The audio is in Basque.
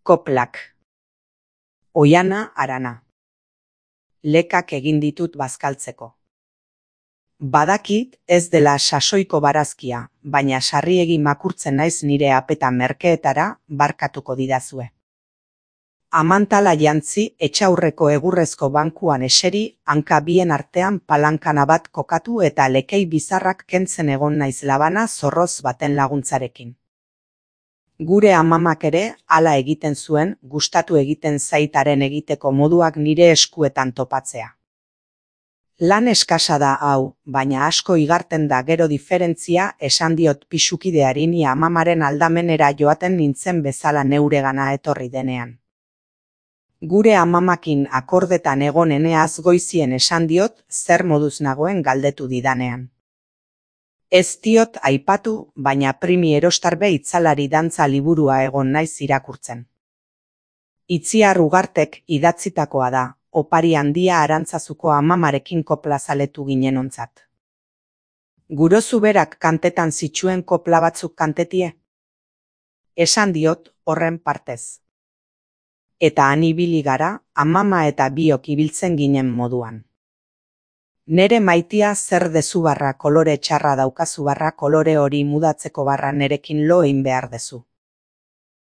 Koplak. Oiana harana. Lekak egin ditut bazkaltzeko. Badakit ez dela sasoiko barazkia, baina sarriegi makurtzen naiz nire apeta merkeetara, barkatuko didazue. Amantala jantzi etxaurreko egurrezko bankuan eseri, hanka bien artean palankana bat kokatu eta lekei bizarrak kentzen egon naiz labana zorroz baten laguntzarekin. Gure amamak ere hala egiten zuen, gustatu egiten zaitaren egiteko moduak nire eskuetan topatzea. Lan eskasa da hau, baina asko igarten da gero diferentzia, esan diot pisukideari ni amamaren aldamenera joaten nintzen bezala neuregana etorri denean. Gure amamakin akordetan egoneneaz goizien esan diot zer moduz nagoen galdetu didanean. Ez diot aipatu, baina Primi Erostarbe itzalari dantza liburua egon naiz irakurtzen. Itziar Ugartek idatzitakoa da, opari handia Arantzazuko amamarekin kopla zaletu ginen ontzat. Gurozu berak kantetan zituen kopla batzuk kantetie? Esan diot horren partez. Eta han ibili gara, amama eta biok ibiltzen ginen moduan. Nere maitia zer dezu barra kolore txarra daukazu barra kolore hori mudatzeko barra nerekin lo egin behar dezu.